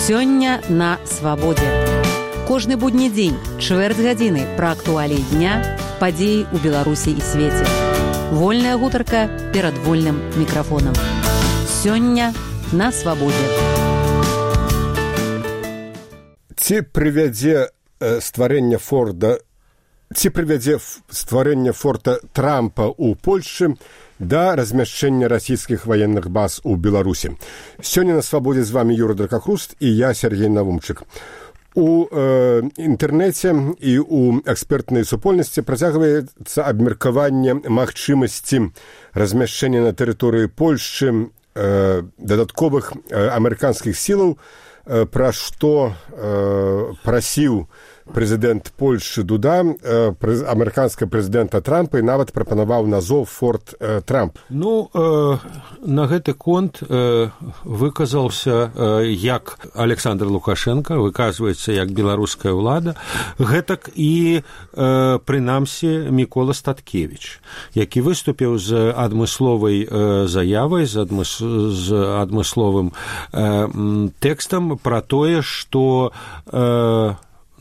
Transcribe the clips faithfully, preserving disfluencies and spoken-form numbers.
Сёння на свабодзе. Кожны будні дзень, чвэрць гадзіны пра актуаліі дня, падзеі ў Беларусі і свеце. Вольная гутарка перад вольным мікрафонам. Сёння на свабодзе. Ці прывядзе стварэнне Форда, ці прывядзе стварэнне форта Трампа ў Польшчы да размяшчэння расійскіх ваенных баз у Беларусі. Сёння на свабодзе з вами Юра Дракахруст і я, Сергей Навумчык. У э, інтэрнэце і ў экспертнай супольнасці працягваецца абмеркаванне магчымасці размяшчэння на тэрыторыі Польшчы э, дадатковых э, амерыканскіх сілаў, э, пра што э, прасіў прэзідэнт Польшчы Дуда, э, прэз, амерыканскага прэзідэнта Трампа, і нават прапанаваў назов Форт э, Трамп. Ну, э, на гэты конт э, выказаўся э, як Александр Лукашенко, выказваецца як беларуская ўлада, гэтак і, э, прынамсі, Мікола Статкевіч, які выступіў з адмысловай э, заявай, з, адмыс, з адмысловым э, тэкстам пра тое, што э,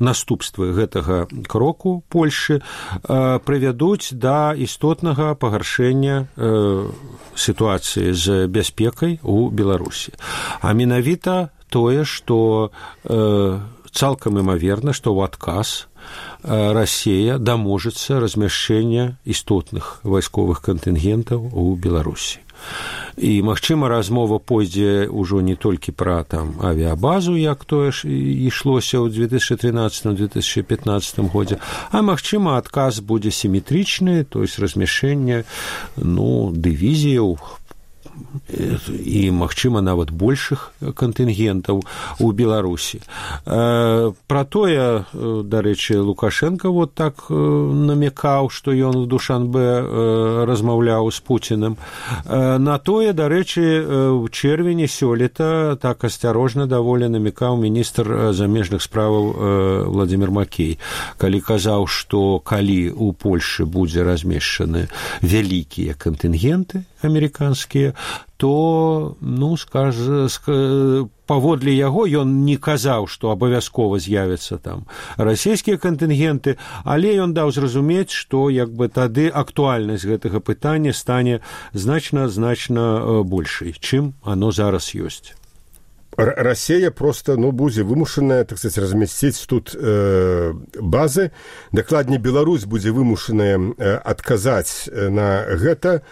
наступствы гэтага кроку Польшчы э, прывядуць да істотнага пагаршэння э, сітуацыі з бяспекай у Беларусі. А менавіта тое, што э, цалкам імаверна, што ў адказ э, Расія даможацца размяшчэння істотных вайсковых кантынгентаў у Беларусі. І, магчыма, размова пойдзе ўжо не толькі пра там авіабазу, як тое ж ішлося ў две тысячы трынаццатым - две тысячы пятнаццатым годзе, а, магчыма, адказ будзе сіметрычны, то есть размяшчэнне, ну, дывізіяў і, магчыма, нават большых кантынгентаў у Беларусі. Э, пра тое, дарэчы, Лукашенко вот так э, намекаў, што ён у Душанбе э, размаўляў з Пуціным. Э, на тое, дарэчы, ў чэрвені сёлета так асцярожна даволі намекаў міністр замежных справаў э, Владзімір Макей, калі казаў, што калі у Польшчы будзе размешчаны вялікія кантынгенты амерыканскія, то, ну, скаж, паводле яго ён не казаў, што абавязкова з'явяцца там расійскія кантынгенты, але ён даў зразумець, што як бы тады актуальнасць гэтага пытання стане значна-значна большай, чым оно зараз ёсць. Расія просто, ну, будзе вымушаная, так сказать, размясціць тут э, базы. Дакладней, Беларусь будзе вымушаная э, адказаць на гэта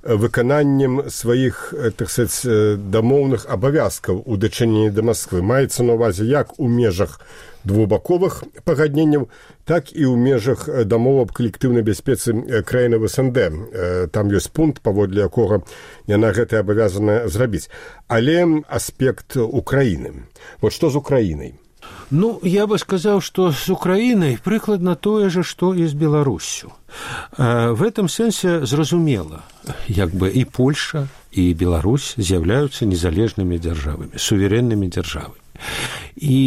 выкананнем сваіх, так сказать, дамоўных абавязкаў у дачыненні да Масквы. Маецца на ўвазе як у межах двухбаковых пагадненняў, так і ў межах дамоў аб калектыўнай бяспецы краіны СНД. Там ёсць пункт, паводле якога яна гэта абавязана зрабіць. Але аспект Украіны. Вот што з Украінай? Ну, я бы сказал, что с Украиной прыкладна тое же, что и с Беларусью. В этом сенсе зразумела, як бы и Польша, и Беларусь з'яўляюцца незалежнымі дзяржавамі, сувереннымі дзяржавамі. І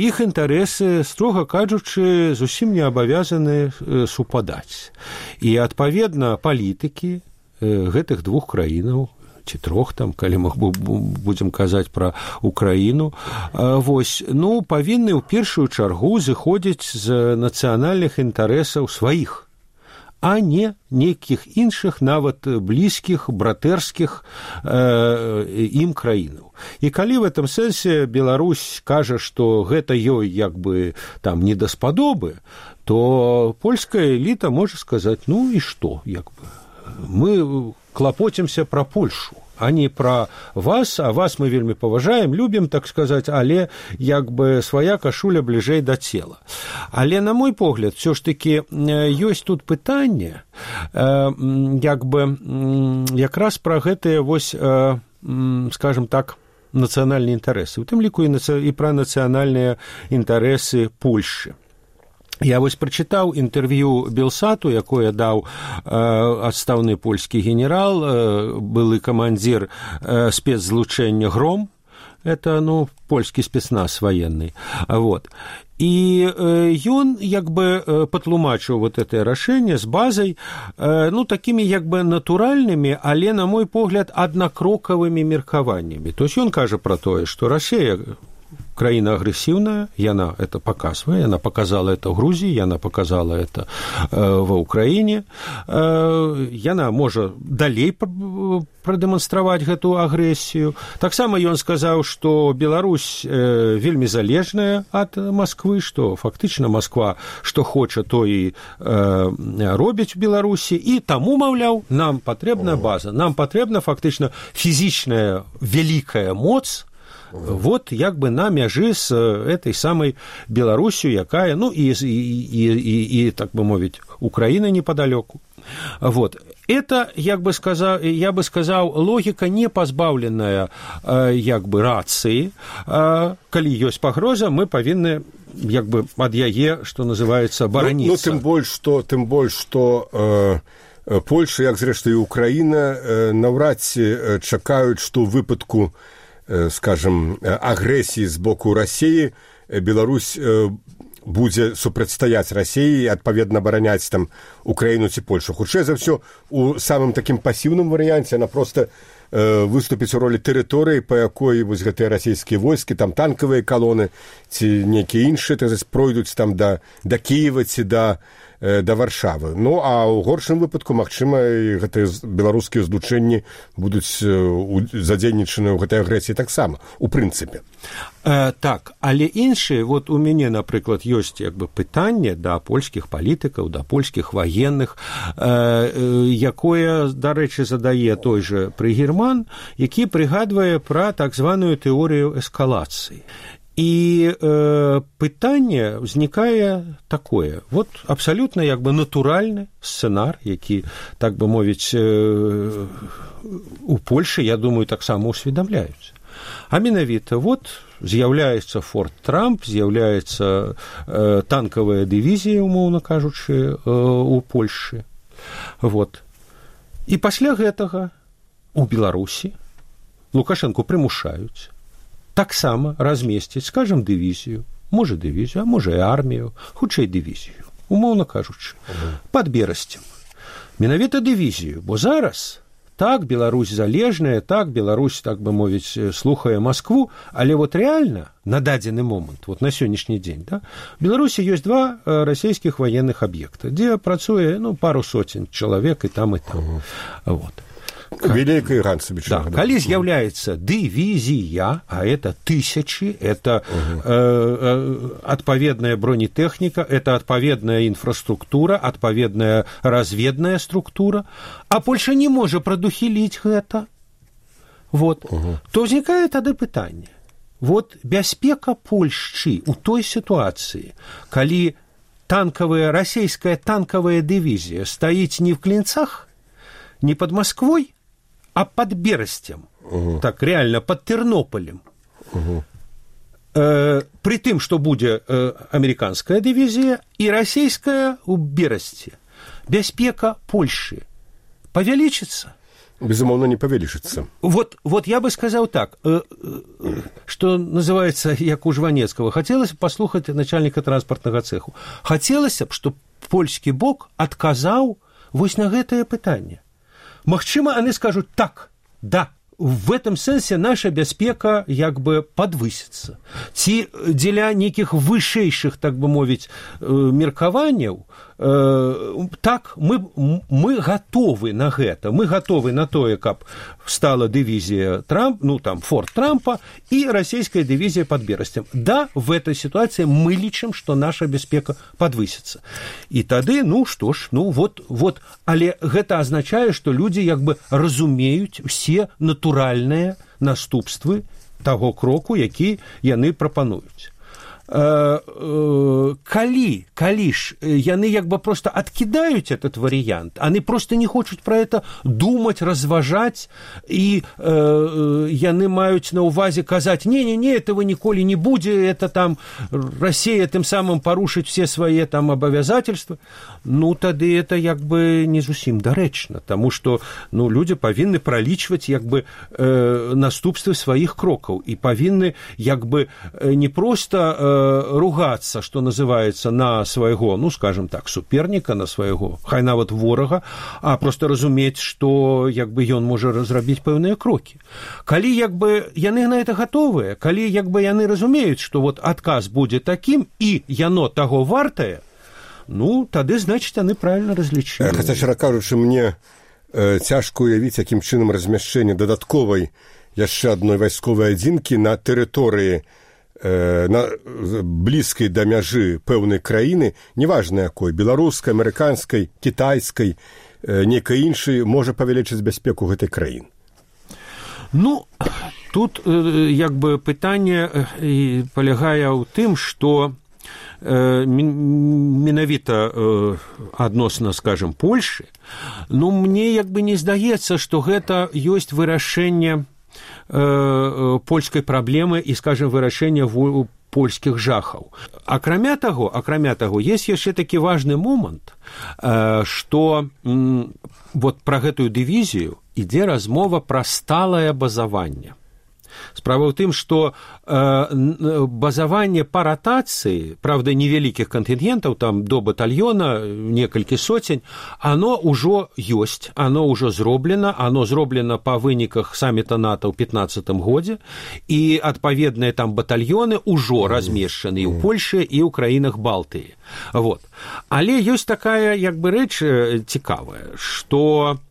іх інтарэсы, строга кажучы, зусім не абавязаны супадаць. І, адпаведна, палітыкі гэтых двух краінаў, ці трох там, калі мы будзем казаць пра Украіну, вось, ну, павінны ў першую чаргу зыходзіць з нацыянальных інтарэсаў сваіх, а не нейкіх іншых, нават блізкіх, братэрскіх э, ім краінаў. І калі в этом сэнсе Беларусь кажа, што гэта ёй як бы там не даспадобы, то польская эліта можа сказаць, ну і што, як бы, мы клапоцімся пра Польшу, а не пра вас, а вас мы вельмі паважаем, любім, так сказаць, але як бы свая кашуля бліжэй да цела. Але, на мой погляд, все ж таки ёсць тут пытанне, як бы якраз пра гэтыя, вось, скажем так, нацыянальныя інтарэсы, у тым ліку і пра нацыянальныя інтарэсы Польшчы. Я вось прачытаў інтэрв'ю Белсату, якое даў э, адстаўны польскі генерал, э, былы камандзір э, спецзлучэння «Гром», это, ну, польскі спецназ военный, вот. І э, ён, як бы, э, патлумачыў вот это рашэнне з базай, э, ну, такімі, як бы, натуральнымі, але, на мой погляд, аднакрокавымі меркаваннямі. То есть ён кажа пра тое, што Расія краіна агрэсіўная, яна это паказвае, яна показала это ў Грузіі, яна показала это ва ўкраіне, яна можа далей прадэманстраваць гэту агрэсію. Таксама ён сказаў, што Беларусь вельмі залежная ад Масквы, што фактычна Масква што хоча, то і робіць у Беларусі, і таму, маўляў, нам патрэбная база, нам патрэбна фактычна фізічная вялікая моц, вот як бы на мяжы з этой самай Беларусью, якая, ну і, і, і, і, і так бы мовіць, Украіна непадалёку. Вот. Это, як бы сказал, я бы сказал, логика не позбавленная як бы рацыі. Калі ёсць пагроза, мы павінны як бы ад яе, што называецца, бараніцца. Ну, ну тым больш, што тым больш, што э, Польша, як зрэшты і Украіна, э, наўрад ці чакаюць, што ў выпадку, э, скажем, агрэсіі з боку Расіі Беларусь э, будзе супрацьстаяць Расіі і, адпаведна, абараняць там Украіну ці Польшу. Хутчэй за ўсё, у самым такім пасіўным варыянце яна проста э, выступіць у ролі тэрыторыі, па якой вось гэтыя расійскія войскі, там танкавыя калоны ці нейкія іншыя, так сказаць, пройдуць там да, да Кіева ці да, э, да Варшавы. Ну, а ў горшым выпадку, магчыма, гэтыя беларускія злучэнні будуць э, задзейнічаны ў гэтай агрэсіі таксама, у прынцыпе. Э, так, але іншыя, вот у мяне, напрыклад, ёсць як бы пытанне да польскіх палітыкаў, да польскіх ваенных, э, э, якое, дарэчы, задае той же Прыгерман, які прыгадвае пра так званую тэорыю эскалацыі. І э, пытанне ўзнікае такое, вот абсалютна як бы натуральны сцэнар, які, так бы мовіць, э, у Польшы, я думаю, таксама усведамляюць. А менавіта, вот з'яўляецца Форт Трамп, з'яўляецца э, танкавая дывізія, умоўна кажучы, э, у Польшы. Вот. І пасля гэтага у Беларусі Лукашэнку прымушаюць таксама размесціць, скажем, дывізію, можа дывізію, а можа і армію, хутчэй дывізію, умоўна кажучы, пад Берасцем. Менавіта дывізію, бо зараз так, Беларусь залежная, так, Беларусь, так бы мовіць, слухае Маскву, але вот реально на дадзены момант, вот на сённяшні дзень, да, в Беларусі ёсць два расійскіх военных аб'екта, дзе працуе, ну, пару сотен чалавек і там, і там. Uh-huh. Вот. Великая Ганцевич. Да, коли з'является дивизия, а это тысячи, это угу. э, э, отповедная бронетехника, это отповедная инфраструктура, отповедная разведная структура, а Польша не может продухилить это, вот, угу. то возникает тогда питание. Вот бяспека Польшчы у той ситуации, коли танковая, российская танковая дивизия стоит не в Клинцах, не под Москвой, а под Берастем, угу. так реально под Тернополем. Угу. Э, при тым, что будет э, американская дивизия и российская у Берасте. Бяспека Польши повеличится? Безумовно, не повеличится. Вот, вот я бы сказал так, э, э, что называется, як у Жванецкого, хотелось бы послухать начальника транспортного цеху. Хотелось бы, чтобы польский бок отказал вось на гэтае пытанне. Магчыма, они скажут так, да, в этом сэнсе наша бяспека як бы подвысится. Ці дзеля нейкіх вышэйшых, так бы мовіць, меркаванняў, э, так, мы, мы готовы на гэта, мы готовы на тое, каб стала дивизия Трамп, ну, там, Форт Трампа и российская дивизия под Берастем. Да, в этой ситуации мы лічым, что наша бяспека подвысится. И тады, ну, что ж, ну, вот, вот, але гэта означает, что люди як бы разумеюць все натуральныя наступствы таго кроку, які яны прапануюць. Калі, калі ж яны як бы просто откидают этот вариант, они просто не хочуць про это думать, разважать, и э, яны маюць на увазе казать, не-не-не, этого ніколі не будет, это там Россия тем самым порушить все свои там обязательства, ну, тады это як бы не зусім дарэчна, тому что, ну, люди павінны пролічваць як бы э, наступствы своих крокаў, и павінны як бы не просто э, ругацца, што называецца, на свайго, ну, скажем так, суперніка, на свайго, хай нават ворага, а проста разумець, што як бы ён можа зрабіць пэўныя крокі. Калі як бы яны на это гатовыя, калі як бы яны разумеюць, што вот адказ будзе такім, і яно таго вартае, ну, тады, значыць, яны правільна разлічылі. Хаця, шчыра кажучы, мне э, цяжка уявіць, якім чынам размяшчэнне дадатковай яшчэ адной вайсковай адзінкі на тэрыторыі э, на блізкай да мяжы пэўнай краіны, неважна якой, беларускай, амерыканскай, кітайскай, э, нейкай іншай, можа павялічыць бяспеку гэтай краіны. Ну, тут э, як бы пытанне э, палягае ў тым, што э, менавіта э, адносна, скажем, Польшы, ну, мне як бы не здаецца, што гэта ёсць вырашэнне польскай праблемы і, скажем, вырашэння польскіх жахаў. Акрамя таго, акрамя таго, есть яшчэ такі важны момант, што вот пра гэтую дывізію ідзе размова пра сталае базаванне. Справа ў тым, што э, базаванне па ратацыі, правда, невялікіх кантынгентаў, там до батальёна, некалькі соцень, оно ўжо ёсць, оно ўжо зроблена, оно зроблена па выніках саміта НАТО ў пятнаццатым годзе, і адпаведныя там батальёны ўжо размешчаны і ў Польшы, і ў краінах Балтыі. Вот. Але ёсць такая, як бы, рэч цікавая, што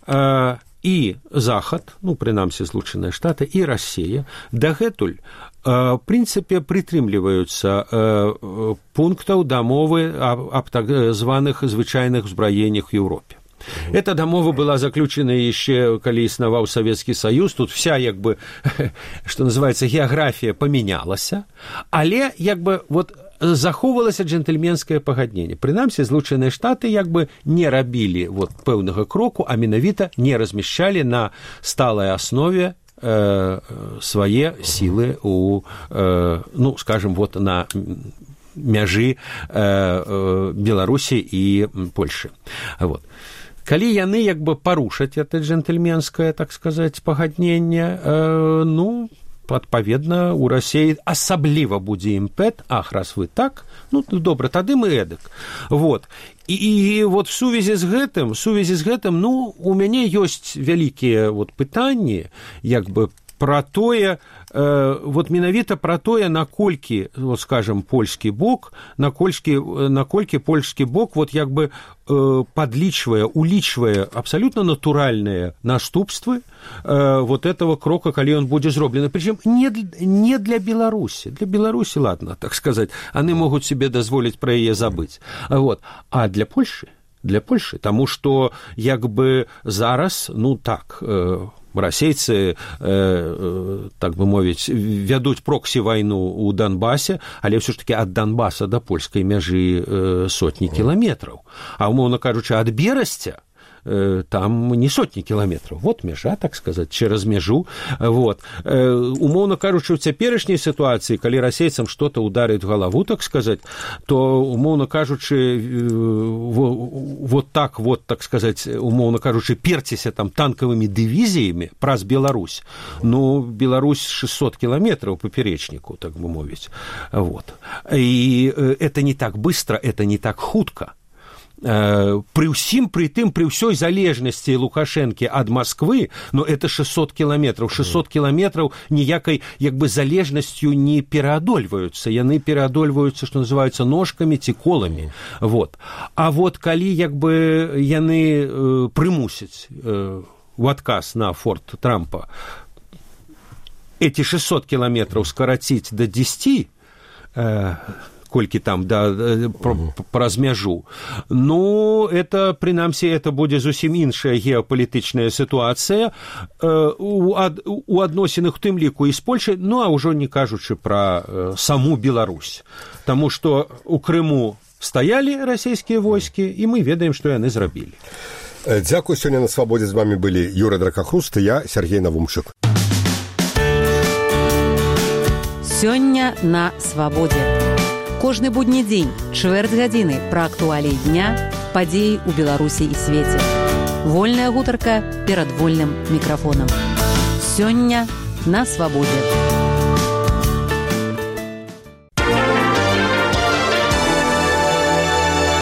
э, і Захад, ну, прынамсі, Злучаныя Штаты, і Расія дагэтуль, в прынцыпе, прытрымліваюцца пунктаў дамовы аб так званых звычайных узбраеннях в Еўропе. Эта дамова была заключена яшчэ, калі існаваў Савецкі Саюз, тут вся, як бы, што называецца, геаграфія памянялася, але, як бы, вот, захоўвалася джентльменскае пагадненне. Прынамсі, Злучаныя Штаты як бы не рабілі вот пэўнага кроку, а менавіта не размяшчалі на сталай аснове э, свае сілы у, э, ну, скажем, вот на мяжы э, э, Беларусі і Польшы. Вот. Калі яны як бы парушаць это джентльменскае, так сказаць, пагадненне, э, ну, адпаведна, у Расіі асабліва будзе імпэт, ах, раз вы так, ну, добра, тады мы эдак. Вот. І, і вот в сувязі з гэтым, сувязі з гэтым, ну, у мяне ёсць вялікія вот пытанні, як бы, пра тое, э, вот менавіта пра тое, наколькі, вот, скажем, польскі бок, наколькі, наколькі польскі бок, вот, як бы, э, падлічвае, улічвае абсалютна натуральныя наступствы э, вот этого крока, калі ён будзе зроблены. Причем не, не для Беларусі. Для Беларусі, ладно, так сказать, они могут себе дазволіць пра яе забыць. Вот. А для Польшы, для Польшы, таму што, як бы, зараз, ну, так, э, расейцы, э, э, так бы мовіць, вядуць проксі-вайну ў Донбасе, але ўсё ж такі ад Донбаса да польскай мяжы э, сотні кіламетраў. А, умоўна кажучы, ад Берасця э, там не сотні кіламетраў. Вот мяжа, так сказаць, через мяжу. Вот. Э, умоўна кажучы, ў цяперашняй сітуацыі, калі расейцам што-то ударыць в галаву, так сказаць, то, умоўна кажучы, э, вот так вот, так сказаць, умоўна кажучы, перціся там танкавымі дывізіямі праз Беларусь. Ну, Беларусь шестьсот километров поперечнику, так бы мовить. Вот. И это не так быстро, это не так хутка. При ўсім, при тым, при ўсёй залежнасці Лукашэнкі ад Москвы, но это шестьсот километров. шестьсот километров ніякай, як бы, залежнасцю не пераадольваюцца. Яны пераадольваюцца, што называюцца, ножкамі ці коламі. Вот. А вот калі, як бы, яны э, прымусяць э, в адказ на форт Трампа эти шестьсот километров скараціць до десяти, э, колькі там, да, праз мяжу. Ну, это, прынамсі, это будзе зусім іншая геапалітычная сітуацыя э, у, ад, у адносінах, у тым ліку і з Польшай, ну, а ўжо не кажучы пра э, саму Беларусь. Таму што у Крыму стаялі расійскія войскі, і мы ведаем, што яны зрабілі. Дзякуй. Сёння на Свабодзе з вами былі Юра Дракахруст і я, Сергей Навумчык. Сёння на Свабодзе. Кожны будні дзень, чвэрць гадзіны пра актуаліі дня, падзеі ў Беларусі і свеце. Вольная гутарка перад вольным мікрафонам. Сёння на Свабодзе.